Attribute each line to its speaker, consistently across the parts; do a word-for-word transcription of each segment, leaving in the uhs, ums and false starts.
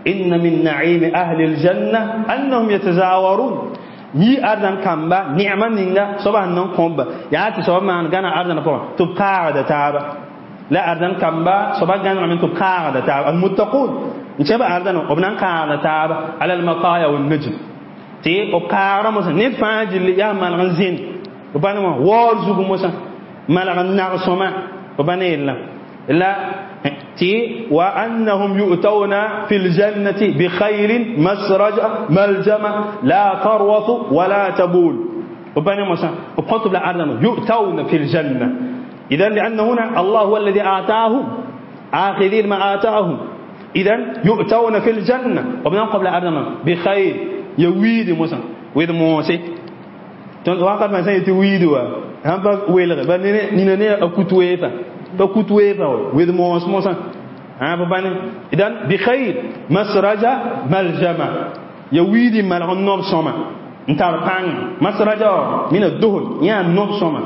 Speaker 1: إن من نعيم أهل الجنة أنهم يتزاورون yi arzan kamba ni'ma ninga soba nan komba ya ti soba man gana arzan po to kaada taaba la arzan kamba soba gana min to kaada taaba al muttaqun nchaba arzan obnan kaada taaba ala al mataya wan najm ti o kaara mo ne faajil ya mal zin bana mo wor zugu mo sa mal nag soma bana illa la تي وأنهم يؤتون في الجنة بخير مسرج ملجمة لا تروث ولا تبول. وبني موسى وقلت بالأرض يؤتون في الجنة. إذا لأن هنا الله هو الذي آتاهم آخذين ما آتاهم. إذا يؤتون في الجنة وبني قبل الأرض بخير يويد موسى ويد موسى وقد ما سيتويدوا هم ويلغ بني نينا أكتويفا فكتويفا ويد موس موسى ها بباني إذن بخير مسرجة ملجمة يويدي ملغن سما انتار بان مسرجة من الدهن يا نوب سما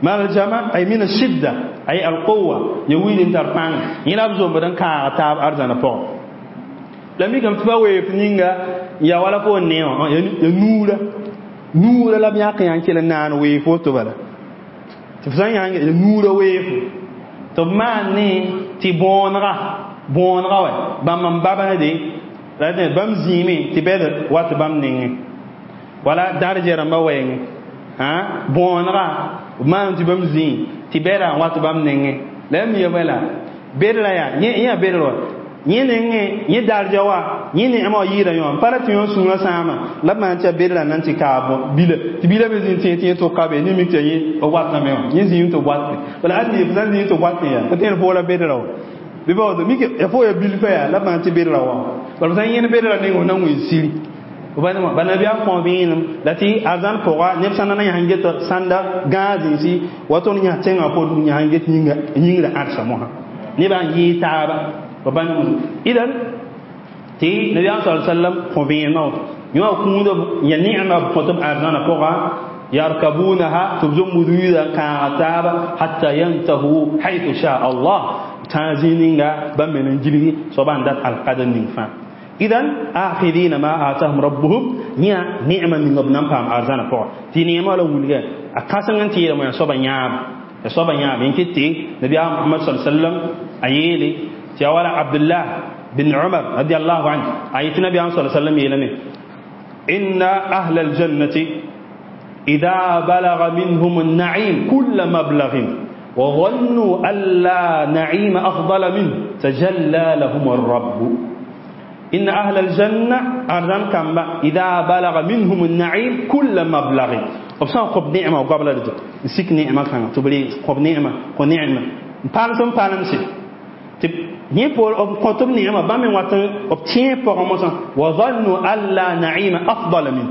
Speaker 1: ملجمة أي من الشدة أي القوة يويدي انتار بان يلابزو بدن كاتاب أرزانا فوق لم يكن تفاوي فنينغا يا ولا فو نيو يا نورا نورا لم يقين كلا نان ويفو تبلا تفسان يعني نورا ويفو tɩ b maan ne tɩ bõonega bõonega wɛ bãmb n babsde la bãmb zĩime tɩ bɛd wat bãmb nengẽ wala darja rãmbã wɛɛngẽ bõonega b maan tɩ bãmb zĩi tɩ bɛda n wat bãmb nengẽ la ya mi bala bedra yaa yẽ yaa bedr wa yẽ nengẽ yẽ darja wa yẽ neema wa yɩɩda yõ n pa ra tɩ yõ sũurã sãama la b maan tɩ ya bedra na n tɩ kaa bila tɩ bila me zĩnd tẽ tɩ yẽ tʋka be ne mik tɩ yẽ b watame wã yẽ zĩim tɩ b watẽ bala ãn f sãn zĩim tɩ b watẽ yaa pa tẽed fo la bedra wa bɩ ba woto mik ya fo ya bilfã yaa la b maan tɩ bedra wa bala f sãn yẽnd bedra neng f na n wẽn siri ba nabiyaam kõ vẽenem la tɩ arzãn pʋga neb sã na yãs get sãnda gãag zĩnsi wa tõnd yãs tẽngã pʋgẽ yãs get yĩngrã ãdsa mosã nebã n yɩɩ taaba إذن تي النبي صلى الله عليه وسلم خبينا يو كوند يا نعمة كتب أرزانا فوقا يركبونها تبزم مدويدا كعتاب حتى ينتهوا حيث شاء الله تازينينغا بمن جلي صبان دات القدر نفا إذن آخذين ما آتاهم ربهم نيا نعمة من ابنام فام أرزانا فوقا تي نعمة لو ولغا أكاسن تي لما صبان ياب صبان ياب إنكتي النبي محمد صلى الله عليه وسلم أيلي تيوالا عبد الله بن عمر رضي الله عنه آية النبي صلى الله عليه وسلم يلمي إن أهل الجنة إذا بلغ منهم النعيم كل مبلغ وظنوا أن لا نعيم أفضل منه تجلى لهم الرب. إن أهل الجنة أرزان كما إذا بلغ منهم النعيم كل مبلغ وبسان قب نعمة وقبل رجل نسيك نعمة كان تبلي قب نعمة قب نعمة بانسون بانسي yẽ poor b kõt b neema bãmb me wat b tẽeb pʋgẽ mosã wa zannu an la naima afdala min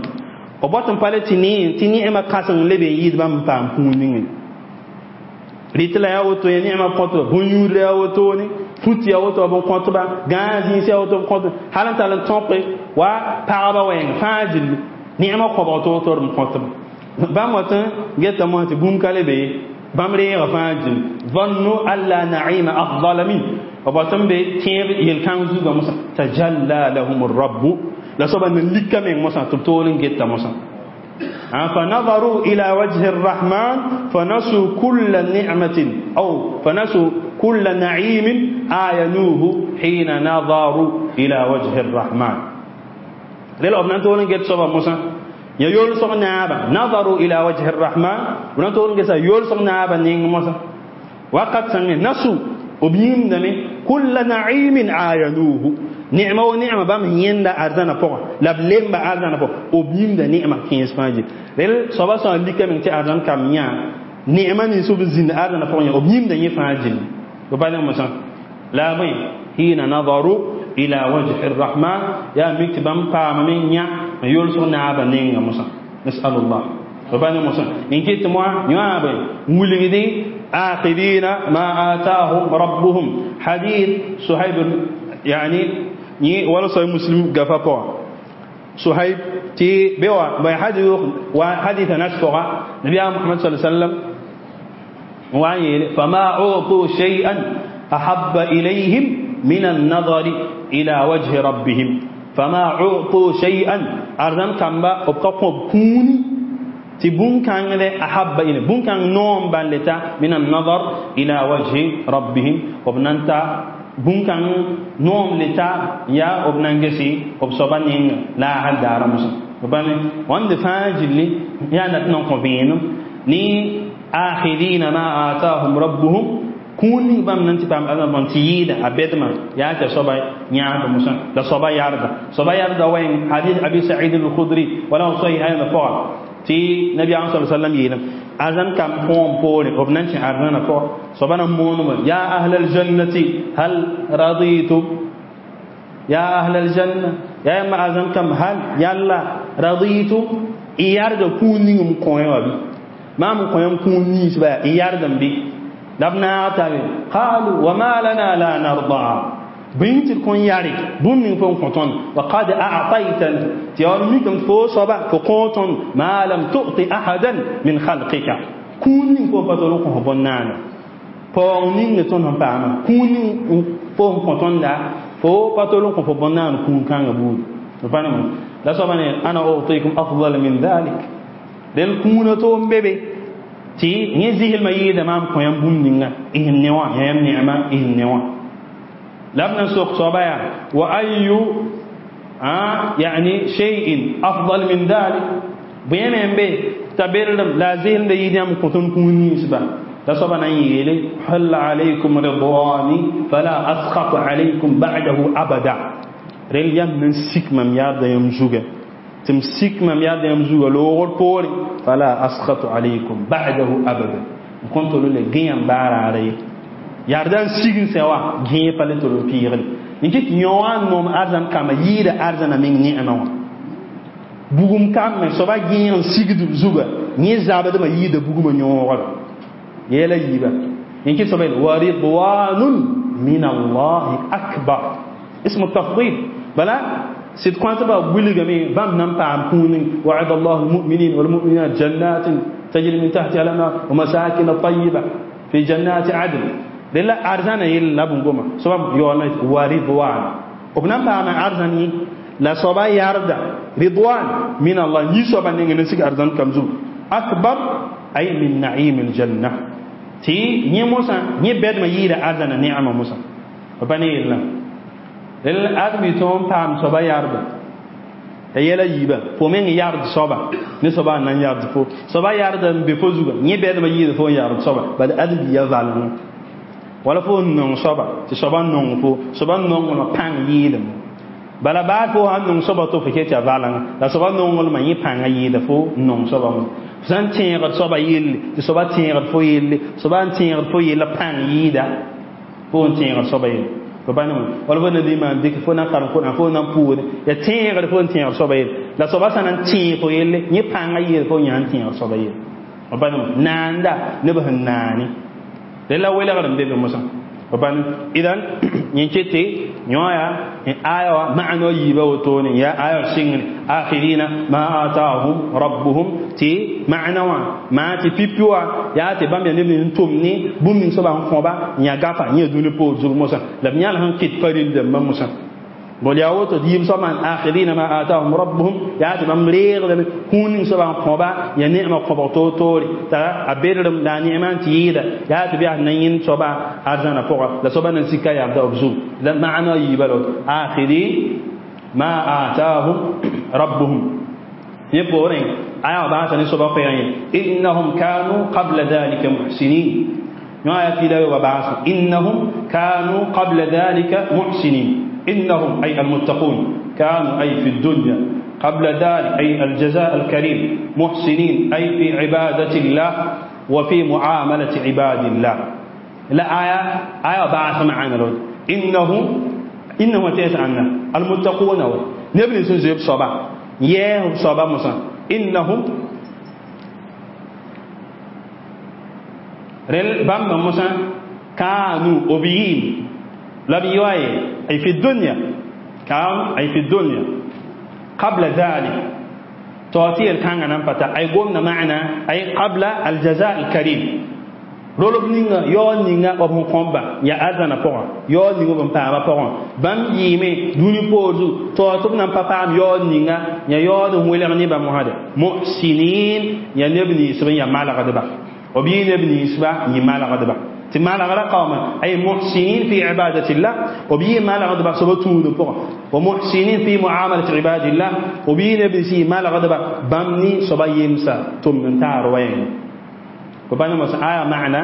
Speaker 1: b wat n pa le tɩ ne tɩ neema kãseng leb n yɩɩd bãmb n paam kũun ningẽ rɩtɩ la yaa woto ya neema kõtba bõn-yũudra yaa wotone fut yaa woto b n kõtba gãag zĩis yaa woto b kõtba hal n tall n tõke wa pagba wɛɛng fãa gilli neema kõbg toor-toor n kõtba bãmb wat n geta mosã tɩ bũmb ka le be bãmb reega fãa gilli zannu an la naima afdala min وباتم بتيب يلكان زوجا موسى تجلى لهم الرب لا سبب من لك من موسى تبتولن جت موسى فنظروا إلى وجه الرحمن فنسوا كل نعمة أو فنسوا كل نعيم آينوه حين نظروا إلى وجه الرحمن ليل أبنان تولن جت سبب موسى يا يول نابا نظروا إلى وجه الرحمن ونان تولن جت يول نابا نين موسى وقد سمع نسوا وبيمدني كل نعيم عاينوه نعمة ونعمة بام يندا أرزانا فوق لبلم بأرزانا فوق وبيمد نعمة كينس فاجي ليل صبا صار لك من تأرزان كميا نعمة نسوب زين أرزانا فوق وبيمد يفاجي وبعدين مثلا لا مين حين نظروا إلى وجه الرحمن يا مكتبم قام من يا يولسون نعبا نينغ مثلا نسأل الله وبعدين مثلا إن كنت مع نعبا ولدي آخذين ما آتاهم ربهم حديث صهيب يعني ولا صحيح مسلم قفا صهيب تي بوا بحديث وحديث نشفق نبي محمد صلى الله عليه وسلم وعيل فما أعطوا شيئا أحب إليهم من النظر إلى وجه ربهم فما أعطوا شيئا أرزان كمبا أبقى كوني تي بون كان أحب إلى بون كان نوم بالتا من النظر إلى وجه ربهم وبنانتا بون كان نوم لتا يا وبنانجسي وبصبانين لا هل دار مسا وبان وند فاجلي يا نتنون كوفين ني آخذين ما آتاهم ربهم كوني بام نانتي بام أنا بانتيدا أبدما يا تصبا نيا موسى لا صبا ياردا صبا ياردا وين حديث أبي سعيد الخدري ولا صحيح هذا فعل تي نبي صلى الله عليه وسلم يلم أذن كم فوم بوري وبنانتي أرنا فو صبا نمونم يا أهل الجنة هل رضيتم يا أهل الجنة يا إما أذن كم هل يلا رضيتم إياردا كوني مكوين وبي ما مكوين كوني سبا إياردا بي لبنا تابي قالوا وما لنا لا نرضى بنت الكون يارك بوم فون كونتون وقد أعطيتنا تيارميكم فو صبا فكونتون ما لم تعطي أحدا من خلقك كوني فو فتلوكم هبنانا فونين نتون هم باما كوني فو كونتون لا فو فتلوكم هبنانا كون كان يبود فاهم لا صبا أنا أعطيكم أفضل من ذلك دل كونتون بيبي تي نزيه الميت أمام قيام بوم نينا إيه النوا يا نعمة إيه النوا لم نسوق صبايا وأي آه يعني شيء أفضل من ذلك بيم بي تبرم لا زين بيدي أم كتون كوني سبا لا صبا نيلي حل عليكم رضواني فلا أسخط عليكم بعده أبدا ريليام من سيك مم يارد يمزوجه تمسك ما ياد يمزوج لوغر بوري فلا أسخط عليكم بعده أبدا كنت لولا جيم بار علي ياردان سيجن سوا جيم بالتو بيرن نجيت يوان نوم أرزان كما يد أرزان من نعمة بوغم كام من سوا جيم سيجد زوجة نيزابد ما يد بوغم يوان يلا يبا نجيت سوا ورضوان من الله أكبر اسم التفضيل بلا سيد كوانت با بولغامي بام نام بام كونين وعد الله المؤمنين والمؤمنات جنات تجري من تحتها الانهار ومساكن طيبه في جنات عدن لله ارزانا يلا بونغوما سبب يوانا ورضوان وبنام بام ارزاني لا صبا ياردا رضوان من الله ني صبا نيغ نسيك ارزان كمزو اكبر اي من نعيم الجنه تي ني موسى ني بيد ما ييدا ارزانا نعمه موسى وبني الله لل أدمي توم تام صبا يارد يلا يبا فمن يارد صبا نصبا نان يارد فو صبا يارد بفوزوغا ني بيد ما ييد فو يارد صبا بعد أدمي يزالن ولا فو نون صبا تصبا نون فو صبا نون ولا بان ييدم بلا بعد فو هن نون صبا تو فكيت يزالن لا صبا نون ولا ما يي بان ييد فو نون صبا سان تيغ صبا ييل صبا تيغ فو ييل صبا تيغ فو ييل بان ييدا فو تيغ صبا ييل فبانو ولا فو ندي ما ديك فو نان كارن كون فو نان بور يا تيغ فو تيغ صبا لا صبا سان تي فو يل ني بان ييل فو نيان تيغ صبا ييل فبانو ناندا نبه ناني لا ولا غرم بيبي موسى فبانو اذا نينتي نيويا ان ايوا معنى يبا وتوني يا ايوا سين اخرين ما آتاهم ربهم تي معنى ما تي بيبيوا يا تي بام يا نبي نتومني بوم نين صبا خوبا نيا غافا نيا دوني بو زوج موسى لم يال هن كيت فريل دم موسى بولياوتو ديم صبا اخرين ما آتاهم ربهم يا تي بام ريغ دم كون صبا خوبا يا نعمه خوبا تو تو تا ابيرم لا نعمه تيدا يا تي بيا نين صبا ارزانا فوق لا صبا نسيكا يا عبد لا معنى يبلو آخرين ما آتاهم ربهم يبورين آية بعث نسبة قيامين إنهم كانوا قبل ذلك محسنين ما في ذلك وبعث إنهم كانوا قبل ذلك محسنين إنهم أي المتقون كانوا أي في الدنيا قبل ذلك أي الجزاء الكريم محسنين أي في عبادة الله وفي معاملة عباد الله لا آية آية بعث معنا لو إنهم إنهم تيسعنا المتقون نبني سنزيب صبا يه صبا موسى إنهم رل بام موسى كانوا أبيين لبيواي أي في الدنيا كانوا أي في الدنيا قبل ذلك تعطي الكان نمبتا أي قمنا معنا أي قبل الجزاء الكريم Rolb ninga yaood ninga b sẽn kõbba yaa arzãna pʋgã yaood ning b n paamã pʋgã bãmb yɩɩme dũni poor zug tao tɩ b nan pa paam yaood ninga yaa yaood n welg ne bãmb wãsde muhsinin yaa neb ninsb n yaa malgdba b yɩ neb ninsba n yɩ malgdba tɩ malgra kaoome ay muhsinin fi ibadatillah b yɩ malgdba soaba tũud pʋgã wa muhsinin fi muamalati ibadillah b yɩ neb nins yɩ malgdba bãmb ne soaba yemsa tʋmd n taar wɛɛngẽ وبانا موسى آية معنى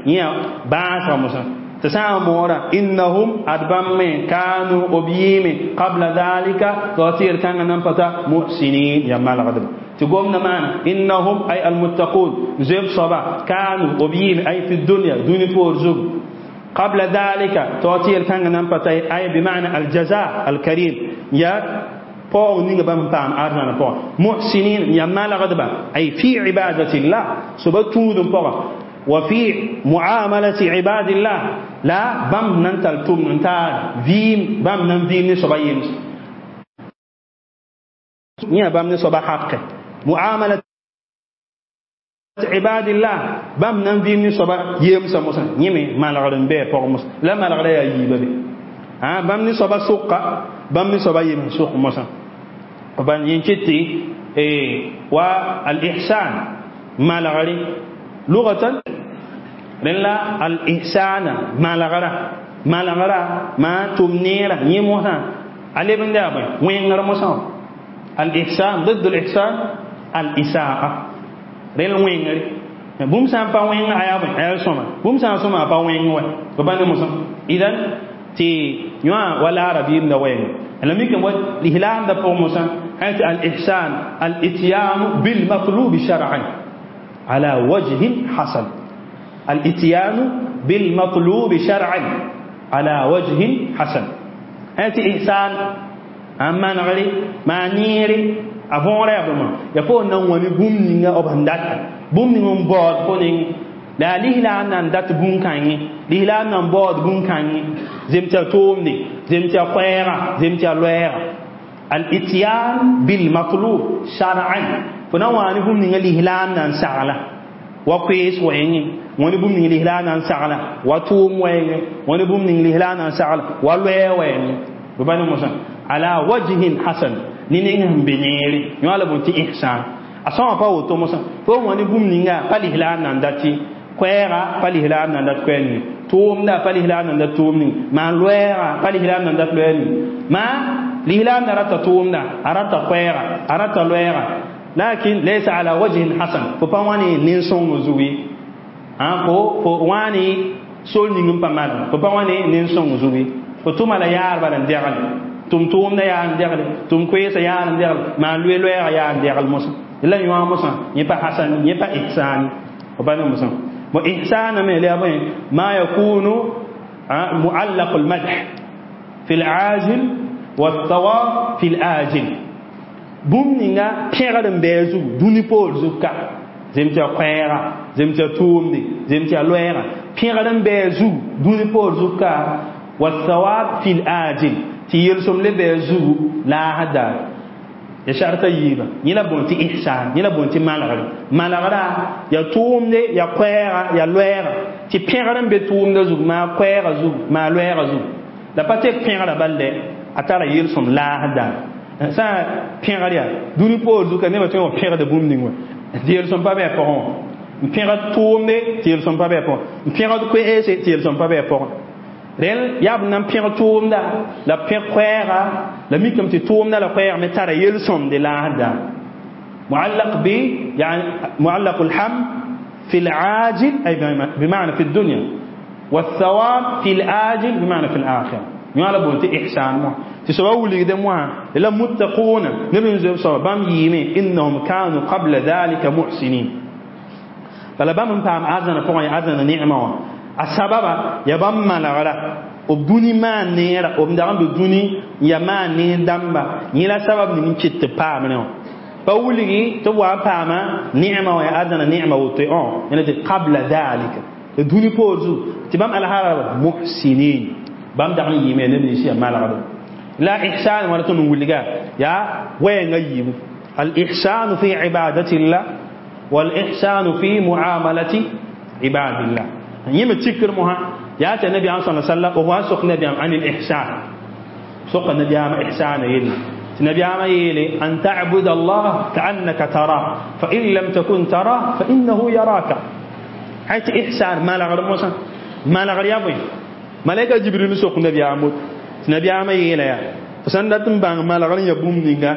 Speaker 1: يا باس موسى تسعى مورا إنهم أدبم كانوا أبيم قبل ذلك توتير كان نمفتا محسنين يا مال غدب تقومنا معنا إنهم أي المتقون زيب صبا كانوا أبيم أي في الدنيا دون فورزوب قبل ذلك توتير كان نمفتا أي بمعنى الجزاء الكريم يا paoog ninga bãmb paam arzãna pʋgã muhsinin yaa malgdba ay fi ibadatillah soaba tũud n pʋgã wa fi muamalati ibadillah la bãmb nan tall tʋmd n taar vɩɩm bãmb nan vɩɩm ne soaba yems yã bãmb ne soaba haqe muamalat ibadillah bãmb nan vɩɩm ne soaba yemsã mosã yẽ me malgd n bɩ a pʋgẽ mosã la malgrã yaa yiibã be bãmb ne soaba sʋka bãmb ne soaba yems sʋk mosã ban yin kitti wa al-ihsan malgri lughatan la al-ihsan malgra malgra ma tumnira yimuha alibin da bai wengar musa al-ihsan ضد الإحسان الإساءة rel wengri bũmb sã n pa wẽng aya bõe aya sõma bũmb sã n sõma a pa wẽng wɛ b bãnd mosã idan tɩ yõa wa laara biibda wɛɛngẽ la mikame wa lislaamda pʋgẽ mosã tɩ al-ihsan al-ityanu bil-matlub shar'an ala wajhin hasan al-ityanu bil-matlub shar'an ala wajhin hasan tɩ ihsan n manegre maa neere a võora yaa bõema yaa fo n na n wã ne bũmb ninga b sẽn data bũmb ning n baood fo neng la yaa lislaam na n dat bũn-kãngẽ lislaam na n baood bũn-kãngẽ zem tɩ yaa toomde zem tɩ yaa koɛɛga zem tɩ yaa loɛɛga al-ityan bil-matlub shar'an fo na n waa ne bũmb ninga lislaam na n sagla wa koees wɛɛngẽ wã ne bũmb ning lislaam na n sagla wa tʋʋm wɛɛngẽ wã ne bũmb ning lislaam na n sagla wa loɛɛ wɛɛngẽ b pa ne mosã ala wajhin hasan ne ning sẽn be neere yõ la bõe tɩ ihsan a sõma pa woto mosã fo wã ne bũmb ninga pa lislaam na n dat koɛɛga pa lislaam na n dat koɛɛg ning tʋʋmda pa lislaam na n dat tʋʋm ning maan loɛɛga pa lislaam na n dat loɛɛg ning maa lislaam na rata tʋʋmda a rata koɛɛga a rata loɛɛga lakin laysa ala wajhin hasan fo pa wã ne nin-sõng zugu ye fo fo wã ne sol ning n pa malg fo pa wã ne nin-sõng zugu ye fo tʋma la yaar bala n dɛgl tʋm tʋʋmda yaa n dɛgle tʋm koeesã yaa n dɛgle maan loe loɛɛga yaa n dɛgl mosã la yõa mosã yẽ pa hasan yẽ pa ihsani fo pa ne mosã bon ihsana me la bõe ma yakunu muallaq almadh fi alajil والثواب في الآجل bũmb ninga pẽgd n bɩ a zug dũni poor zug ka zem tɩ yaa koɛɛga zem tɩ yaa tʋʋmde zem tɩ yaa loɛɛga pẽgd n bɩ a zug dũni poor zug ka والثواب في الآجل tɩ yelsem le bɩ a zugu laasd daar ya sharta yiiba yẽ la bõe tɩ ihsan yẽ la bõe tɩ malgre malgra yaa tʋʋmde yaa koɛɛga yaa loɛɛga tɩ pẽgr n be tʋʋmda zug maa koɛɛga zug maa loɛɛga zug la pa tek pẽgra bal dɛ a tara yelsem laasd daar sã pẽgr yaa dũni poor zug ka nebã tõe n wa pẽgda bũmb ning wã tɩ yelsem pa bɩ a pʋgẽ wã n pẽgd tʋʋmde tɩ yelsem pa bɩ a pʋgẽ n pẽgd koeese tɩ yelsem pa bɩ a pʋgẽ rel yaa b nan pẽg tʋʋmda la pẽg koɛɛga la mikame tɩ tʋʋmda la koɛɛg me tara yel-sõmde laasd daar معلق ب يعني معلق الحمد في العاجل أي بمعنى في الدنيا والثواب في الآجل بمعنى في الآخرة يالا بونتي إحسان مو تسوى ولي دم لا متقون نبي زي بام يمي إنهم كانوا قبل ذلك محسنين فلا بام بام أذن فوق أذن نعمة السبب يا بام ما لا b dũni maan neera b dag n be dũni n yaa maan neer dãmba yẽ la sabab ning n kɩt tɩ paam ne wã pa wilgi tɩ b wa n paama neema wã yaa arzãna neema woto yẽna tɩ qabla dhalika tɩ dũni poor zug tɩ bãmb alhaara muhsinin bãmb dag n yɩɩme neb nins yaa malgda la ihsan wala tõnd n wilga yaa wɛɛngã yiibu al ihsanu fi ibadatillah wal ihsanu fi muamalati عباد الله يم تكر مها يا النبي صلى الله عليه وسلم وهو سوق النبي عن الإحسان سوق النبي عن إحسان يلي النبي عام يلي أن تعبد الله كأنك تراه فإن لم تكن تراه فإنه يراك حيث إحسان ما لغر موسى ما لغر يابوي ملائكة جبريل سوق النبي عام النبي عام يلي يا فسندتم بان ما لغر يبوم نينغا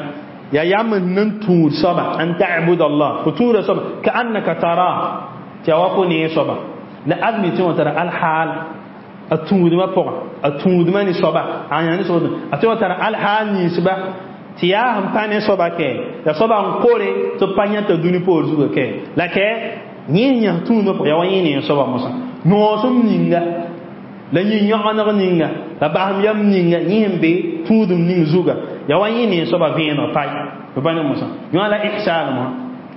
Speaker 1: يا يام ننتور صبا أن تعبد الله فتور صبا كأنك تراه توافني صبا لا أدمي ترى الحال التود ما فوق التود ما نصبا يعني نصبا أتوا ترى الحال نصبا تيا هم بان صبا كي يا صبا نقولي تبانيا تدوني بورزو كي لكن نين يهتون ما فوق يا وين نصبا مثلا نوسم نينغا لا نين يعنق نينغا لا بهم يم نينغا نين بي تودم نين زوجا يا وين نصبا فين باي بان مثلا يوالا إحسان ما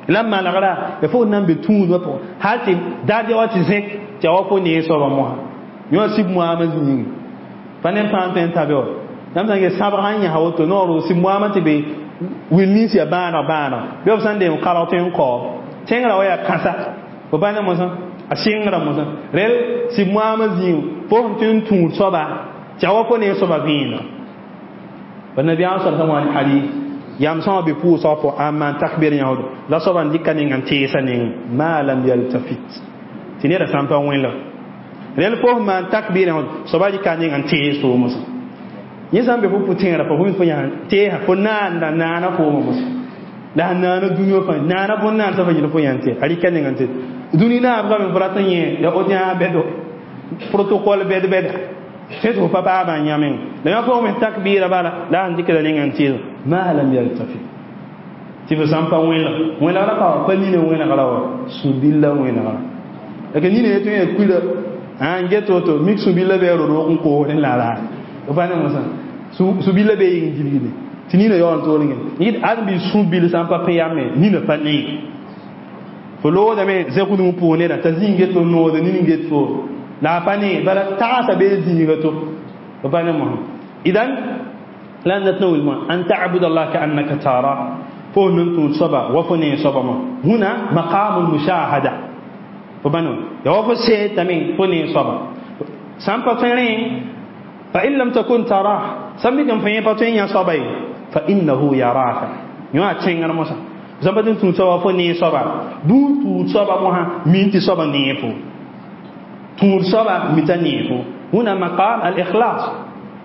Speaker 1: لما لغلا يفوت نام بتود ما فوق هاتي دادي واتي زك تيا وفو نصبا ما yõ sib moamã yĩnga pa ne pãan tõe n ta be wa yãmb sã n ges sãbg sãn yãs woto noor sib moamã tɩ be wil nins yaa bãaneg bãaneg bɩ b sã n deem kalg tõe n kaoog tẽngrã wa yaa kãsa fo pa ne mosã a sɩngrã mosã rel sib moamã zĩig fo sẽn tõe n tũud soaba tɩ a wa fo ne soaba vẽeneg ba nabiyaam sal sã wã ne hadith yam sã wã be pʋʋsg pʋgã a maan takbir yãsdo la soaba n dɩka neng n teesa neng ma lam yaltafit tɩ neda sã n pa wẽnlg rel fo man takbir hon soba di kaning an te so musa yin san be fu tinra fa fu ya te ha fo na na na na fo musa la na na dunyo fa na na bon na sa fa yin fo yan te ari kaning an te duni na abga me frata yin ya odia bedo protocole bed bed se so papa ba nyamen la fo me takbir bala la an dikra ning an te ma lam yaltafi ti fo san pa wela wela ra pa pa ni ne wela ra wa subilla wela ra la ni ne to ye kuila an get woto mik subilla be ro ro ko ne la la o fa ne mosa su subilla be yin gilgile ti ni ne yon to ne ni an bi subil san pa payame ni ne pa ni fo lo da me ze ku mu po ne da ta zinge to no da ni nge to la pa ni bara ta ta be zinge to o fa ne mo idan lan natnawil ma an ta'bud Allah ka'annaka tara fo nun tu saba wa fo ne saba ma huna maqamul mushahada فبنو يوفو سيتامين فني صبا سام باتين فإن لم تكن تراه سمي كم فين باتين يا صبي فإنه يراك يوا تشينغ موسى زبدين تون صبا فني صبا بو تو صبا موها مينتي صبا نيفو تون صبا ميتانيفو هنا مقام الإخلاص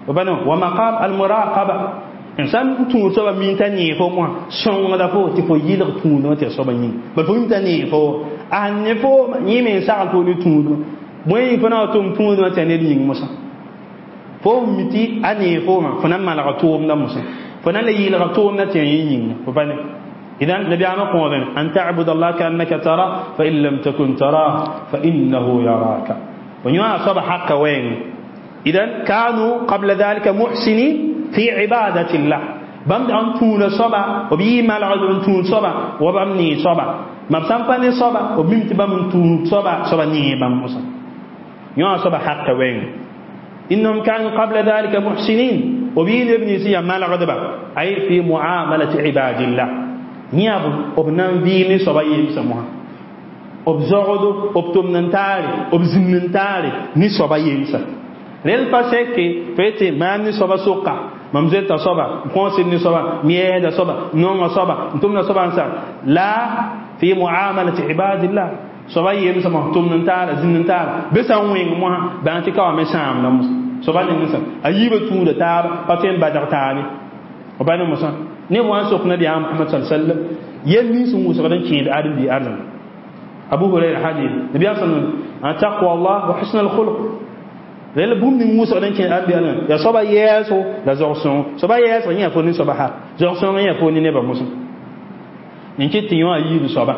Speaker 1: وبنو ومقام المراقبة إنسان تون صبا ميتانيفو موها سون دافو تفو يلغ تون تي صبا ني بل فو ميتانيفو an ne fo yẽ me n sagl fo ne tũudmã bõe yẽ fo na wa tʋm tũudmã tɩ a ned yĩng mosã fo mi tɩ a nee foomã fo na n malga tʋʋmdã mosã fo na n la yɩɩlga tʋʋmdã tɩ a yẽ yĩnga fo pa ne إذن نبي عام قوم أن تعبد الله كأنك ترى فإن لم تكن تراه فإنه يراك ونيوا أصاب حق وين إذن كانوا قبل ذلك محسنين في عبادة الله بام أن تون صبا وبي مالغ أن تون صبا وبامني صبا ما بسام باني صبا وبيم تبام تون صبا صبا ني بام موسى يوا صبا حق وين إنهم كانوا قبل ذلك محسنين وبين ابن سيا مالغ دبا أي في معاملة عباد الله نياب وبنان بيني صبا يمسموها وبزغدو وبتمنتاري وبزمنتاري ني صبا يمسا ريل باسكي فيتي ما ني صبا سوقا mam zoeta soaba n kõosd ne soaba mi-yɛɛda soaba nonga soaba n tʋmda soaba n sa la fi muamalati ibadillah soaba yemsã mos tʋmd n taara zĩnd n taara be sã n wẽng mosã bãng tɩ ka wa me sãamda mosã soaba ning sã a yiibã tũuda taaba pa tõe n badg taabe b pa ne mosã neb wã n sok nabiyaam Muhammad sal sallam yel nins n wʋsgd n kẽed ãdem-bi arzãn Abu Huraira hadith nabiyaam sallam an taqwa Allah wa husn al-khuluq rel bũmb ning wʋsgd n kẽ ãdem-bi arzãn yaa soaba yɛɛso la zog-sõng soaba yɛɛsg yẽ yaa fo ne soaba ha zog-sõng yẽ yaa fo ne nebã mosã n kɩt tɩ yõ a yiib soaba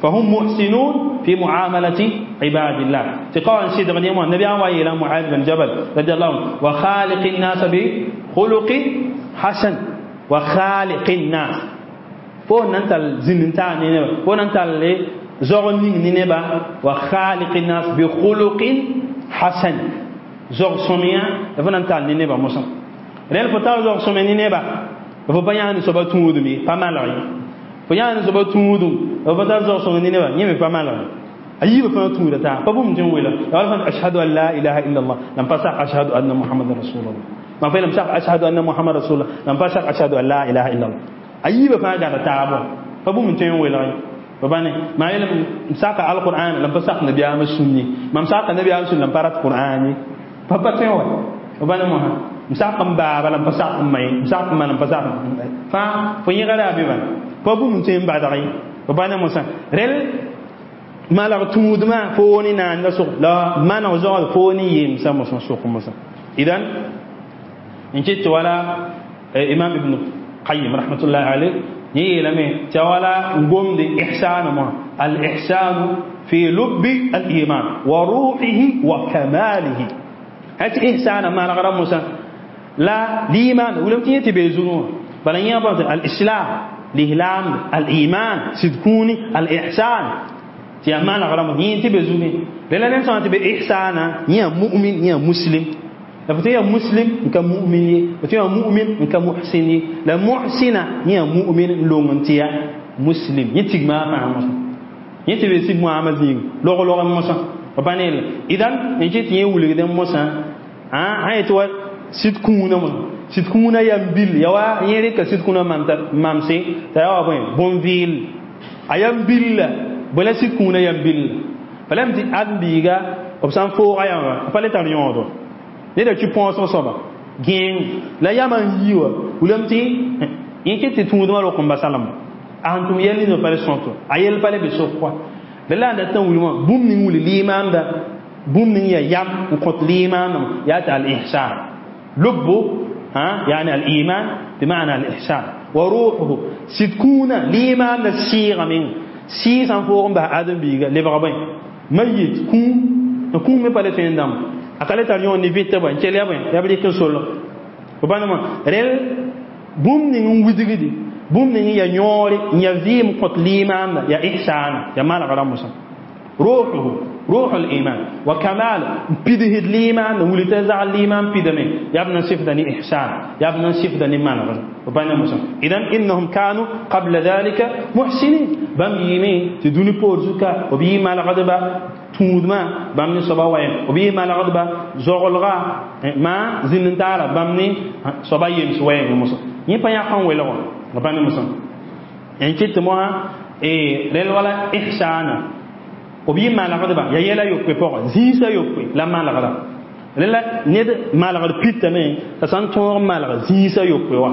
Speaker 1: فهم محسنون في معاملة عباد الله تقوى سيد غني النبي عن إلى معاذ بن جبل رضي الله عنه وخالق الناس بخلق حسن وخالق الناس فو ننتل زننتا نينبا فو ننتل زغ نينبا وخالق الناس بخلق حسن زغ سميا فو ننتل نينبا موسى ريل فتاو زغ سميا نينبا فو بيان سبا تودمي فما لغي fo yãa ne soaba tũudum b pa tar zog-sõng ne nebã yẽ me pa malg ayiba fãa tũuda taa pa bũmb tɩ n wela ya wala fãa ashhadu an la ilaha illa allah la n pa sak ashhadu anna muhammadan rasulullah mam fa yeelame sak ashhadu anna muhammad rasulullah la n pa sak ashhadu an la ilaha illa allah ayiba fãa gãda taabɔ pa bũmb tɩ n welg ye pa bãne maa yeelame m saka alqur'an la n pa sak nabiyaamã sũn ye mam saka nabiyaamã sũn la n pa rat qur'an ye pa pa tõe wa pa bãne mosã m sak n baaba la n pa sak n ma ye m sak n ma la n pa sak fãa fo yẽgda yaa bɩ bãn pa bũmb tõe n badg ye pa bãne mosã rel malag tũudmã foo ne naanda sʋk la maneg zoagd foo ne yemsã mosã sʋk mosã idan n ket tɩ wala imam ibn qayyim rahmatullahi alayh yẽ yeelame tɩ ya wala n gomde ihsaan mosã al ihsanu fi lubbi al iman wa ruhihi wa kamalihi tɩ ihsana manegra mosã la liman wilame tɩ yẽ tɩ bee zugẽ wã bala yẽ bã al islam lislaam al iman sidkũuni al ihsan tɩ yaa manegra mosã yẽ tɩ be zugẽ la ned sã tɩ be ihsana yẽ yaa mu'min yẽ yaa muslim la fo tɩ yaa muslim n ka mu'min ye fo tɩ yaa mu'min n ka muhsin ye la muhsina yẽ yaa mu'min n long n tɩ yaa muslim yẽ tigma fãa mosã yẽ tɩ be sig moamã zĩig log-log n mosã pa pa ne idan n ket tɩ yẽ wilgd n mosã sã yetɩ wa sɩd kũunã mosã sɩd kũunã yam bil ya wa yẽ rɩka sɩd kũunã mamse t'a yaa wa bõe bõn-vɩɩl a yam billa bõe la sɩd kũunã yam billa pa lame tɩ ãdem-biiga b sã n fooga yãmba pa le tar yõodo neda tɩ põosg soaba gẽeng la yamã n yi wa wilame tɩ yẽ ket tɩ tũudmã rok n basa lame a sẽn tʋm yɛl ninga pa le sõto a yɛl pa le be sok kɔa la la n dat n wilmã bũmb ning wilg limaanda bũmb ning yaa yam n kõt limaandã yaa tɩ al-ihsan lubbu يعني الإيمان بمعنى الإحسان وروحه سيدكونا ليمان السيغة من سيسان فوقن بها آدم بيغا لبغا بين ميت كون كون مي بالي فين دام akale tar yon ni vite ba nkele ya ba ya bi kin solo ba ma rel bũmb ning n widgdi bũmb ning ya yõore n ya vɩɩm kõt limaanda ya ihsana ya manegra mosã روحه روح الإيمان وكمال بيده الإيمان ولتزع الإيمان بيدمي يبنى صفة إحسان يبنى صفة منغ وبين مسلم إذن إنهم كانوا قبل ذلك محسنين بام يمي تدوني بورزوكا وبي ما الغضبة تودما بام ني صبا وين وبي ما الغضبة زغلغا ما زين تعالى بام ني صبا يمس وين مسلم يبقى يقان ويلغ وبين مسلم يعني كنت مها إيه لل ولا إحسانا b yɩ manegdba ya yɛla yopoe pʋgẽ zĩisã yopoe la manegda rẽla ned manegd pitame t'a sã n tõog n maneg zĩisã yopoe wã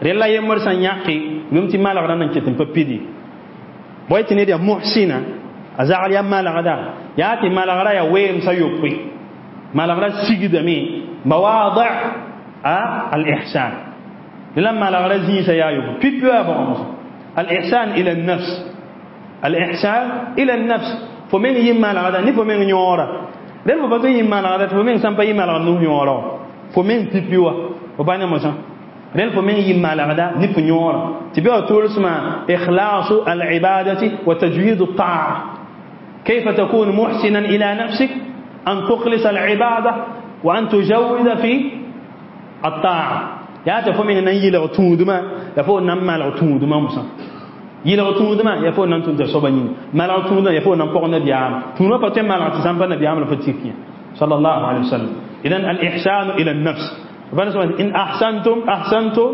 Speaker 1: rẽla yembr sã n yãke lem tɩ manegdã nan ket n pa pidi bõe tɩ ned yaa muhsina a zagl yaa manegda yaa tɩ manegrã yaa weemsã yopoe manegrã sigdame mawaadi al-ihsan rẽla manegrã zĩisã yaa yopoe pipi yaa bõg mosã al-ihsan ila an-nafs الإحسان إلى النفس فمن يما الغدا ني فمن يورا دل فو باتو يما الغدا فمن سامبا يما الغدا نو يورا فمن تيبيوا وبانا موسى دل فمن يما الغدا ني فو يورا تبيو تولسما إخلاص العبادة وتجويد الطاعة كيف تكون محسنا إلى نفسك أن تخلص العبادة وأن تجود في الطاعة يا تفهمين أن يلغ تودما يفو نما لغ تودما موسى yɩlg tũudmã yaa fo nan tũud soaba yĩnga maneg tũudmã yaa fo nan pɔg nabiyaam tũudmã pa tõe n maneg tɩ sãn pa nabiyaam la fa tik yã sallallahu alayhi wa sallam idan al ihsanu ila an-nafs bãn sã in ahsantum ahsantum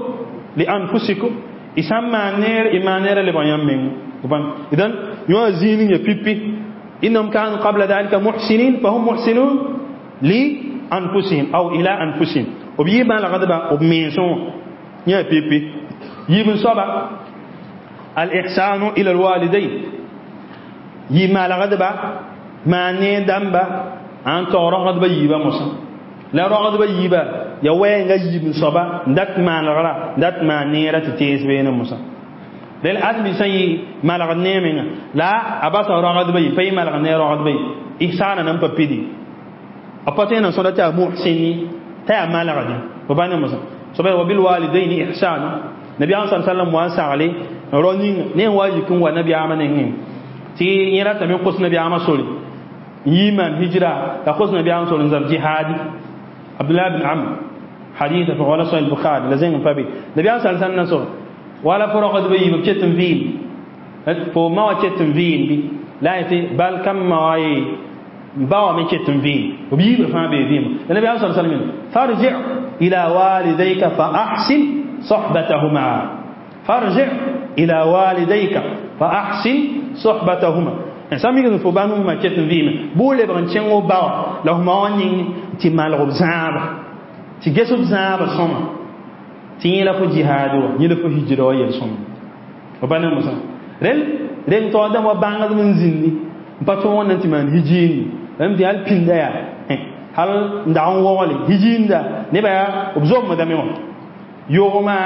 Speaker 1: li anfusikum y sã n maan neer y maan neerã lebg yãmb meng idan yõ zĩig ning ya pipi innahum kanu qabla dhalika muhsinin fahum muhsinun li anfusihim aw ila anfusihim b yɩ manegdba b mensẽ wã yã pipi yiib n soaba الإحسان إلى الوالدين يما لغدبا ما ندمبا أن ترغد بيبا موسى لا رغد بيبا يا وين يجيب صبا دات ما نغرا دات ما نيرة تيس بين موسى لأن أدم سي ما لغني من لا أباس رغد بي في ما لغني رغد بي إحسانا نم بيدي أبتين صلاة محسني تا ما لغدي وبان موسى صبا وبالوالدين إحسانا نبي صلى الله عليه وسلم واسع عليه ro ning ne wa yikin wa nabiyaama nengẽ tɩ yẽ ratame n kos nabiyaamã sore n yi maan hijra la kos nabiyaamã sore n zab jihaadi abdullah bin amr haditha fa wala sahih bukhari la zẽng n pa be nabiyaam sal sãn na so wala fo rogdbã yiib b ket n vɩɩm fo ma wã ket n vɩɩm bɩ La yetɩ bal kam ma wa ye ba wa me ket n vɩɩm b yiibr fãa bee vɩɩmã la nabiyaam sa sallam farji ila walidayka fa ahsin sohbatahuma farji ila walidayka fa ahsin sohbatahuma sã mik fo ba nusmã ket n vɩɩme bʋ lebg n kẽng b ba wã la f ma wã ning tɩ malg b zãaba tɩ ges b zãaba sõma tɩ yẽ la fo jihaad wã yẽ la fo hijra wã yel-sõma b pa ne mosã rel reng taoor dãmb wa bãngdb n zĩndi n pa tõog n tɩ maan hijiindi bãmb tɩ hal pĩnda yaa hal n dag n wogle hijiinda nebã yaa b zomdame wã yogmã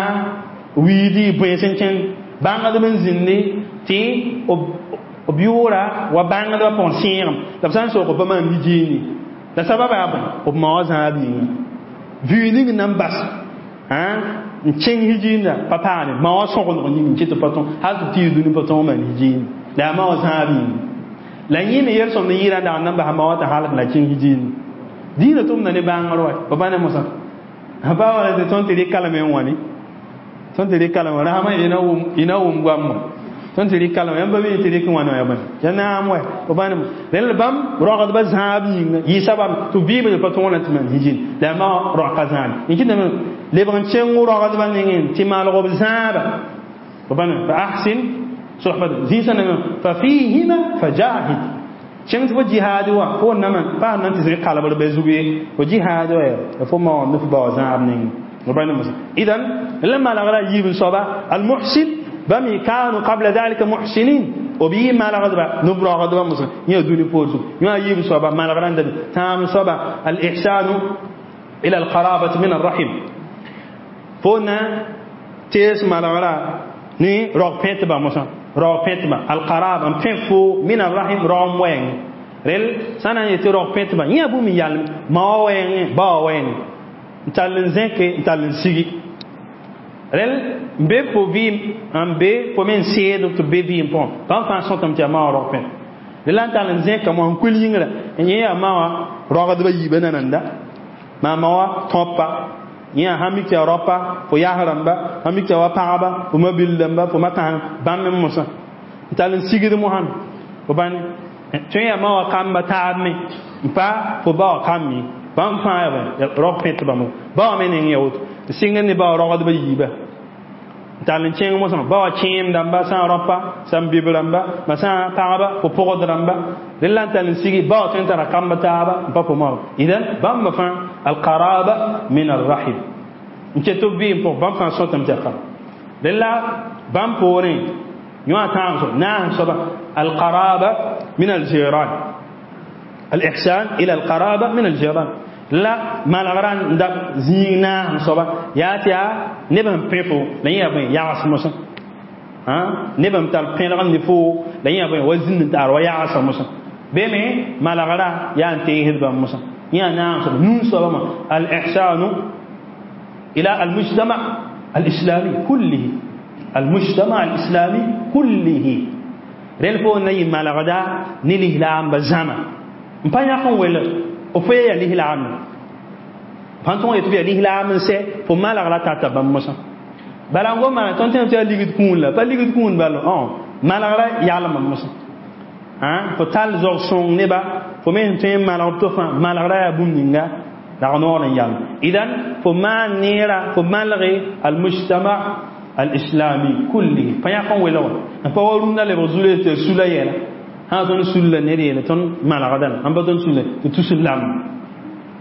Speaker 1: wiidi bões n kẽnd bãngdb n zĩndi tɩ b yʋʋra wa bãngdbã pʋgẽ sẽegem la b sã n sok b pa maan hijiindi la sababa yaa bõe b ma wã zãab yĩnga vɩɩ ning n na n bas n kẽng hijiinda pa paane ma wã sõgendg yĩng n ket pa tõe hal tɩ b tɩ yɩ dũni pa tõog maan hijiindi la yaa ma wã zãab yĩnga la yẽ me yel-sõmd n yɩɩra n dag n na n basa ma wã tɩ halk la kẽng hijiindi dĩinã tʋmda ne bãngr wa pa pa ne mosã pa wala tɩ tõnd tɩ rɩk kalame n wã ne tõnd tɩ rɩk kalame rasmã ina wʋm goamma tõnd tɩ rɩk kalame yãmb pa mi tɩ rɩk n wãne wã ya bõe ya naam wa pa pa ne rẽnd bãmb rogdbã zãab yĩnga yɩ sabab tɩ vɩɩm pa tõog na tɩ maan hijind la yaa ma roaka zãab n kɩtame lebg n kẽng rogdbã nengẽ tɩ maalg b zãaba pa pa ne fa ahsin sohbat zĩisã nengẽ fa fihima fajahid kẽng tɩ fo jihaad wã fo nama pa na tɩ zĩ kalbr be zug ye fo jihaad wã ya fo ma wã ne fo bao zãab nengẽ pa ne mosã idan la malgra yiib n soaba almuhsin bãmb kanu qabla dhalika muhsinin b yɩ malgdba nub rogdba mosã yẽ dũni poor zug yõ yiib soaba malgra n dabe tãam soaba al-ihsanu ila al-qarabati min ar-rahim fo na tees malgra ne rog pẽtba mosã rog pẽtba al-qaraba n pẽ fo min ar-rahim rog wɛɛng rel sã na n yetɩ rog pẽtba yẽ bũmb n yalem ma wã wɛɛngẽ ba wã wɛɛngẽ n tall n zẽke n tall n sigi rel n be fo vɩɩm n be fo me n seed tɩ b be vɩɩm pʋgẽ bãmb fãa sõtame tɩ yaa ma wã rog pẽt rel la n tall n zẽka moa n kuil yĩngrã n yẽ yaa ma wã rogdbã yiibã nananda maa ma wã tõpa yẽ yaa sãn mik tɩ yaa raopa fo yas rãmba sãn mik tɩ yaa wa pagba fo ma-bil dãmba fo ma kãsem bãmb me mosã n tall n sigd mosãn fo bãni tõe yaa ma wã kamba taab me n pa fo ba wã kamb ye bãmb fãa yaa rog pẽtbã mo ba wã me neng ya woto n sɩngd ne ba wã rogdbã yiibã n tall n kẽng mosã ba wã kẽem dãmba sã n raopa sã n bib rãmba ma sã n pagba fo pʋgd rãmba rel la n tall n sigi ba wã tõe n tara kamba taaba n pa fo ma idan bãmba fãa alqaraba min arrahim n ket b vɩɩm pʋgẽ bãmb fãa sõtame tɩ yaa kam rel la bãmb poorẽ yõ tãag soab naas soaba alqaraba min aljiran alihsan ila alqaraba min aljiran la malgra n da zĩig naas soaba yaa tɩ yaa neb n pẽ fo la yẽ yaa bõe yags mosã neb n tar pẽlg n ne fo la yẽ yaa bõe wa zĩnd n taar wa yagsa mosã be me malgra yaa n teesd bãmb mosã yẽ yaa naas soaba nun soaba ma alihsanu ila almujtama alislami kullihi almujtama alislami kullihi rel fo na yɩ malgda ne lislaambã zãma n pa yãk n welg f fo yaa lislaam pãn tõog yetɩ f yaa lislaam n sɛ fo malgra tata bãmb mosã bala n gom maa tõnd tẽem tɩ yaa ligd kũun la pa ligd kũun bal malgra yalma mosã fo tall zog sõng neba fo me sẽn tõe n malg b to fãa malgra yaa bũmb ninga rag noor n yalm idan fo maan neera fo malge almujtama alislami kullihi pa yãk n welg n pa wa rũndã lebg zule tɩ sula yɛla sã tõnd sulla ned yeele tõnd malgda la sãn pa tõnd sulla tɩ tus n lam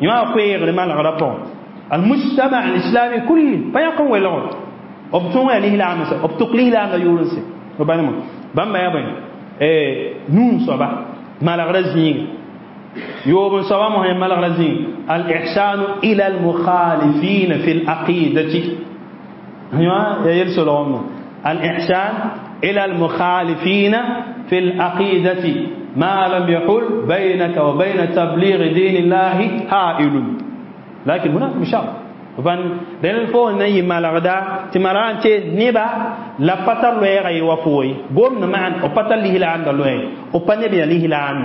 Speaker 1: yõ a koeegre malgrã pʋgẽ almujtama alislami kulli pa yãk n welg b tõog yaa lislaam n sɛ b tʋk lislaamda yʋʋr n sɛ b bãnema bãmba yaa bõe nuun soaba malgrã zĩiga yoob n soaba mosã malgrã zĩiga alihsanu ila almukhalifin fi alaqidati yõ ya yel-solgme alihsan ila almukhalifin fi alaqidati ma lam yahul baynaka wa bayna tabligh din Allah ha'il lakin hunak bishart van rel fo na yɩ malgda tɩ malga n tee neba la pa tar loɛɛga ye wa fo ye gomd maan b pa tar lislaamda loɛɛg b pa neb yaa lislaam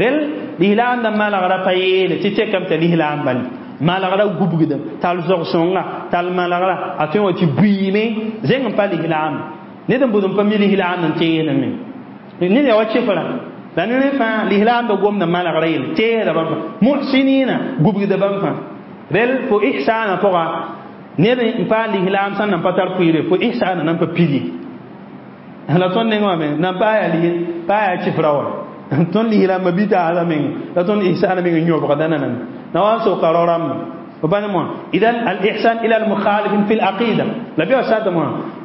Speaker 1: rel lislaamda malgra pa yeele tɩ tekame t'a lislaam bal malgra gubgda tall zog-sõnga tall malgra a tõe wã tɩ buiime zẽng n pa lislaam ned n bʋd n pa mi lislaam n teesdame Ned yaa wa chifra la ne fãa lislaambã gomda malgra yelle teesda bãmb fãa muhsinina gubgda bãmb fãa rel fo ihsana pʋga ned n paam lislaam sẽn nan pa tar pʋɩɩre fo ihsana nan pa pidi la tõnd nengẽ wã me nan pa yaa lis pa yaa chifra wa tõnd lislaambã bɩ taasã meng la tõnd ihsana meng n yõbgda nanam na wa n soka rao rãmba. إذن الإحسان إلى المخالف في العقيدة لا بيو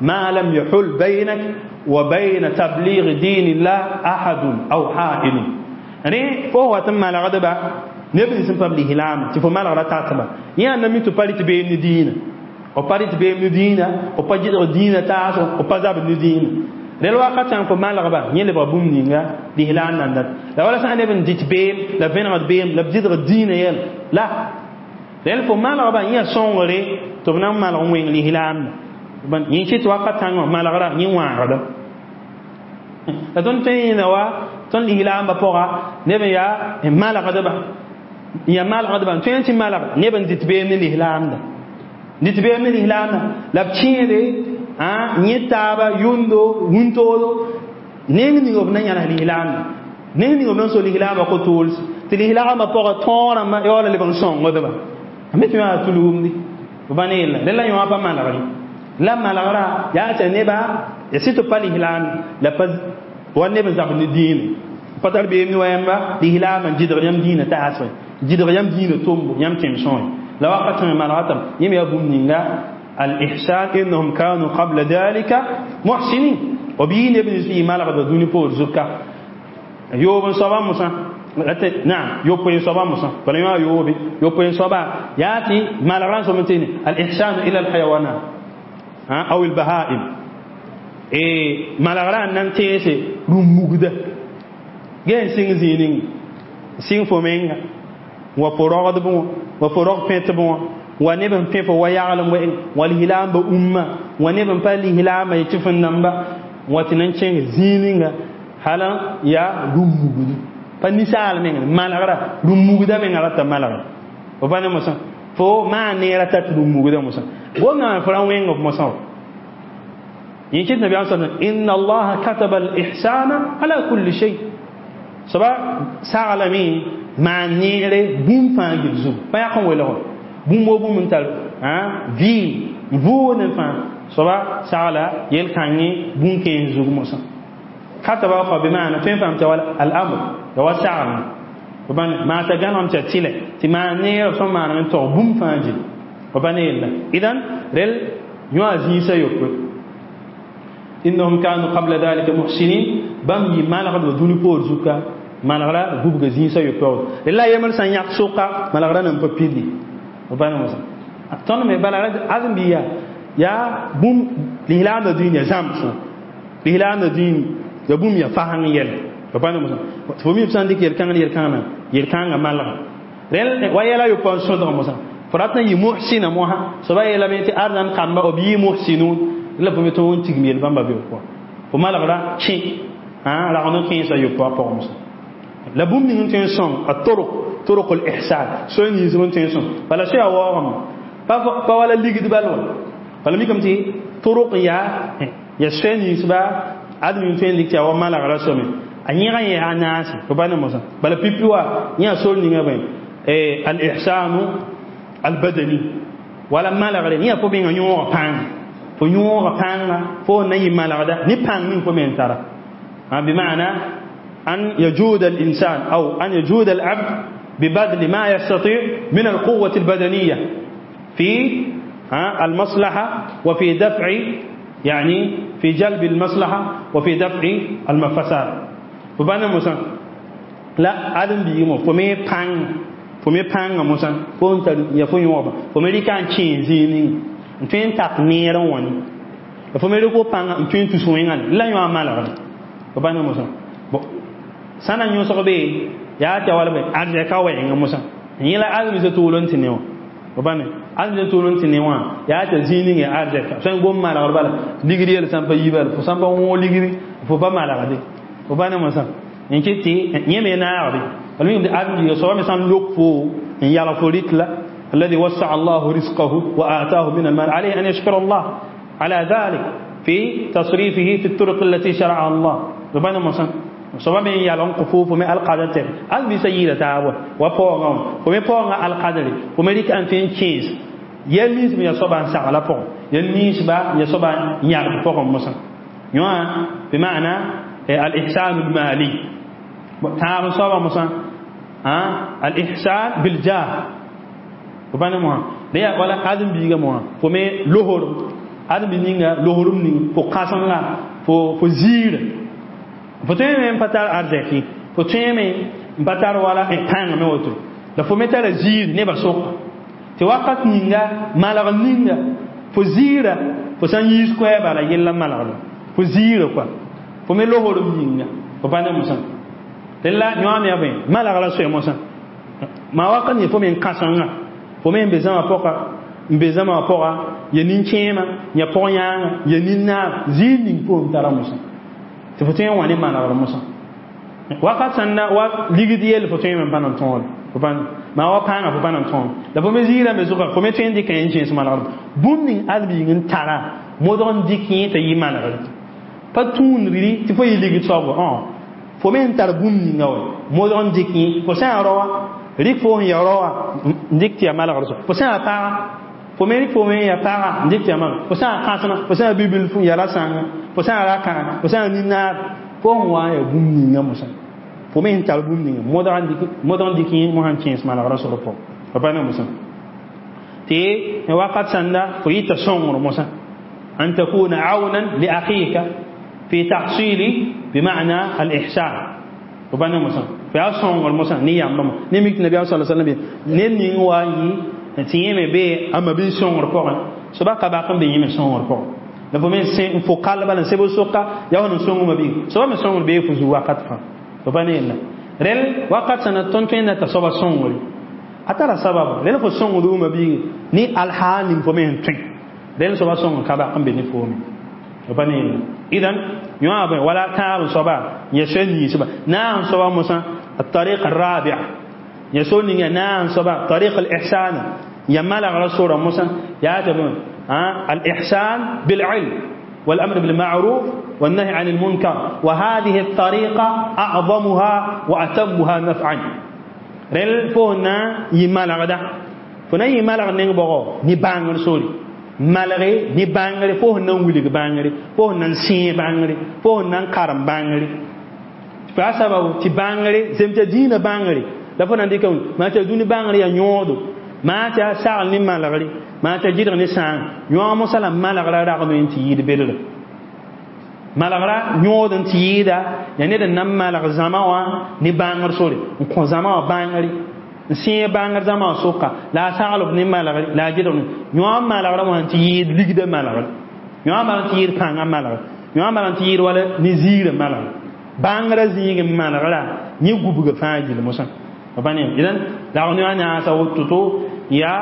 Speaker 1: ما لم يحل بينك وبين تبليغ دين الله أحد أو حائل. يعني فهو تم على غضبة نبني سن تبليغ العام تفو ما لغرا تعتبر يعني نمي تبالي تبين دين وبالي تبين دين وباجي دين تاسو وبازاب دين للواقع تان فما لغبا يلي بوم نينغا دي هلان ناند لا ولا سان نبن ديت بيم لا فين غد بيم لا بديد دين يل لا لأن فما لغبا يا سونغري تبنا ما لغوين لي هلان بن ينشي توقع تان ما لغرا ينوان غدا la tõnd tõe n yẽnda wa tõnd lislaambã pʋga neb n yaa n malgdba n yaa malgdba n tõe n tɩ malg neb n dɩt beem ne lislaamda dɩt beem ne lislaamda la b kẽede yẽ taaba yʋndo wũntoodo neng ning b na yãls lislaamda neng ning b na n so lislaambã ko-tools tɩ lislaambã pʋga tõog rãmbã ya wala leb n sõngdba a me tɩ yaa tulumdi b pa ne yella rẽ la yõ pa malgre la malgra yaa tɩ neba ya sɩ tɩ pa lislaam la pa wa neb n zab ne diine pa tar beem ne wa yãmba lislaam n gɩdg yãmb diinã taasge gɩdg yãmb diinã tombo yãmb tẽm sõe la wakat me malgatame yẽ me yaa bũmb ninga al-ihsan innahum kanu qabla dhalika muhsinin b yɩ neb nins yɩ malgdba dũni poor zuka yoob n soaba mosã naam yopoe n soaba mosã bala yõ a yoobe yopoe n soaba yaa tɩ malgrã n sob n tɩ al-ihsanu ila al-hayawanat aw al-bahaim malgrã n na n teese rũm-mugda ge n sɩng zĩig ninga sɩng fo menga wa fo rogdb wã wa fo rog pẽtb wã wa neb n pẽ fo wa yaglem wɛ'eng wa lislaambã umma wa neb n pa lislaambã yetɩ fẽn namba wa tɩ na n kẽng zĩig ninga hala yaa rũm-mugdu pa ninsaal meng malgra rũm-mugda menga rata malgra fo pa ne mosã fo maan neera tat rũm-mugda mosã gomdã fo ra wẽng f mosã wa يمكن النبي عليه الصلاة والسلام إن الله كتب الإحسان على كل شيء. سبا سالمي ما نيري بوم فان جزو ما يكون ولا بوم بوم انتل ها في فون فان سبا سالا يلكاني بوم كين زو موسى كتب أخو بمعنى فين فهمت ولا الأمر لو سالم وبان ما تجانا متتيله تما نير ثم ما نتو بوم فان جي وبان إلا إذن رل يوازي سيوك إنهم كانوا قبل ذلك محسنين بام يمالغ دوني بور زوكا مالغرا غوب زين سا يوبو لا يمر سان ياك سوكا مالغرا نم بيدي وبان موسى تون مي بالا ازم بيا يا بوم لهلان الدنيا زامس لهلان الدين يا بوم يا فهان يل وبان موسى فمي بسان ديك يل كان يل كان يل كان مالغ رل ويلا يوبو سودو موسى فراتنا يمحسن موها سبا يلا ميتي ارزان كامبا وبي محسنون la fo me tõog n tigm yel bãmba be pʋga fo malgra kẽ ragd n kẽesa yopoa pʋgẽ mosã la bũmb ning n tõe n sõng a torok torok l ihsan soe nins n tõe n sõng bala soa waoogame pa wala ligd bal wa bala mikame tɩ torok n yaa ya soe ninsba ad ning tõe n dɩk tɩ yaa wa malgra soame a yẽga yẽ yaa naase fo pa ne mosã bala pipi wa yẽ a sor ninga bõe al ihsanu al badani wala malgre yẽ fo menga yõoga pãnga fo yõoga pãnga fo na yɩ malgda ne pãng ning fo me n tara بمعنى أن يجود الإنسان أو أن يجود العبد ببذل ما يستطيع من القوة البدنية في المصلحة وفي دفع يعني في جلب المصلحة وفي دفع المفساد فبانا موسى لا آدم بيمو فمي بان فمي بان موسى فونت يفون يوبا فمي كان تشينزيني n tõe n tak neer n wã ne la fo me rɩk fo pãnga n tõe n tus wẽngã la yõ a malgre fo pa ne mosã sã na yõsg be yaa tɩ wala bõe arzɛka wɛɛngã mosã yẽ la azem sã tool n tɩ ne wã fo pa ne azem sã tool n tɩ ne wã yaa tɩ zĩig ning yaa arzɛka sã n gom malgr bala ligd yel sã n pa yi bala fo sã n pa wõog ligri fo pa malgde fo pa ne mosã n kɩt tɩ yẽ me naagde bala mikame tɩ azem biiga soaba me sã n lok fo n yalg fo rɩk la الذي وسع الله رزقه وآتاه من المال عليه أن يشكر الله على ذلك في تصريفه في الطرق التي شرعها الله. B pa ne mosã soaba me n yalg n kõ fo, fo me alkadr tɛk al bisa yɩɩda taab wa paoongã wã, fo me paoongã alkadre, fo me rɩk n tõe n kẽes yɛl ninsb n yaa soaba n sagla pʋgẽ, yɛl ninsba n yaa soaba n yãgd pʋgẽ mosã. Yõa bima'na al-ihsan al-mali. Tãab soaba mosã al-ihsan bil-jah. B pa ne mosã la yaa wala ãdem-biigã mosã, fo me losorem ãdem-bi ninga losorem ning fo kãsenga fo fo ziirã, fo tõe me n pa tar arzɛk ye, fo tõe me n pa tar wala pãng me woto, la fo me tara ziir nebã sʋka tɩ wakat ninga malg ninga fo ziira, fo sã n yiis koɛɛ bala yella malgda fo ziira kɔa, fo me losorem yĩnga, fo pa ne mosã. Rẽla yõame yaa bõe malgra soe mosã maa wakat ning fo me n kãsenga, fo me n be zãma pʋga, n be zãma pʋga ya nin-kẽema, ya pʋg-yãanga, ya nin-naab, ziir ning fo n tara mosã tɩ fo tõe n wã ne malgr mosã. Wakat sẽn na wa ligd yell fo tõe me n pa na n tõode, fo pa maa wa pãanga fo pa na n tõod, la fo me ziirã me zʋka fo me tõe n dɩka n kẽes malgr bũmb ning ãdem n tara modg n dɩk yẽ t'a yɩ malgre pa tũudri tɩ fo yɩ ligd soab. Fo me n tar bũmb ninga wa modg n dɩk yẽ, fo sã n raoa rɩk fo sẽn ya raoa n dɩk tɩ ya malgr soab, fo sã n paga fo me rɩk fo me ya paga n dɩk tɩ ya malgr, fo sã n kãsema, fo sã n bibilf n ya ra-sãnga, fo sã n ra-kãga, fo sã n nin-naab, fo sẽn wa n ya bũmb ninga mosã, fo me n tar bũmb ninga modg n dɩk yẽ mosã n kẽes malgrã sor pʋgẽ, fo pa ne mosã tɩ wakat sãnda fo yɩta sõngr mosã أن تكون عونا لأخيك في تحصيل بمعنى الإحسان. وبنا مسا في أصلا المسا نية أمام نمك النبي صلى الله عليه وسلم نين واي تيم بي أما بي سون ركوع سبا كباكم بيم سون ركوع la fo me se fo kal bala sebo soka ya wono songo mabi soba me songo be fu zu wakat fa fo pa ne la rel wakat sana ton ton na ta soba songo atara sabab rel fo songo du mabi ni alhanin fo me tin rel soba songo kaba ambe ni fo mi fo pa ne la idan yõa bõe wala tãab soaba ya soe ninsba naam soaba mosã الطريق الرابع ya so ninga naam soaba طريق الإحسان ya malagra sora mosã yaa tɩ الإحسان بالعلم والأمر بالمعروف والنهي عن المنكر وهذه الطريقة أعظمها وأتمها نفعا رل فونا يمالغدا فونا يمالغ نين بوغو ني بانغر سوري malgre ne bãngre fo sẽn na n wilg bãngre, fo sẽn na n sẽe bãngre, fo sẽn na n karem bãngre fa sababu tɩ bãngre zem t'a dĩinã bãngre la fo na n dɩka maa t'a dũni bãngre yaa yõodo, maa t'a sagl ne malgre, maa t'a gɩdg ne sãang yõog mosã la malgrã ragme n tɩ yɩɩd bedra malgra yõod n tɩ yɩɩda yaa ned n na n malg zãma wã ne bãngr sore n kõ zãma wã bãngre n sẽe bãngr zãma wã sʋka la a saglb ne malgre la a gɩdg ne yõog malgrã wã n tɩ yɩɩd ligdã malgre, yõog malg n tɩ yɩɩd pãngã malgre, yõog malg n tɩ yɩɩd wala ne ziirã malgre bãngrã zĩig n malgra yẽ gubga fãa gill mosã pa ne idan la ne naasa woto-to yaa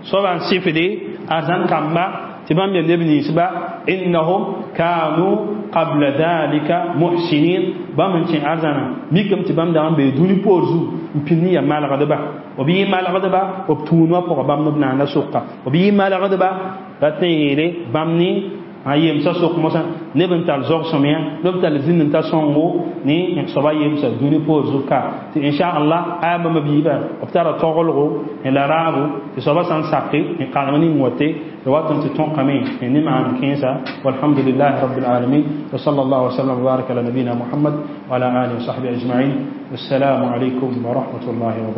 Speaker 1: soaba n sɩfde arzãn kamba tɩ bãmb yaa neb ninsba innahum kanu qabla dhalika muhsinin bãmb n kẽ arzãna mikame tɩ bãmb dag n bee dũni poor zug n pĩnd n yaa malgdba, b yɩ malgdba b tũudmã pʋga bãmb b naanda sʋka, b yɩ malgdba rat n yeele bãmb ne a yemsa sʋk mosã neb n tar zog-sõmyã, neb tar zĩnd n ta sõngo ne soaba yemsa dũni poor zug ka tɩ inchallah aya bãmba biiba b tara toglgo la raabo tɩ soaba sã n sake n karem ning wate wat n tɩ tõkame ne maan kẽesa. Walhamdulillahi rabbil alamin wa sallallahu wa sallam wa baraka ala nabina muhammad wa ala alihi wa sahbihi ajma'in. Wassalamu alaykum wa rahmatullahi wa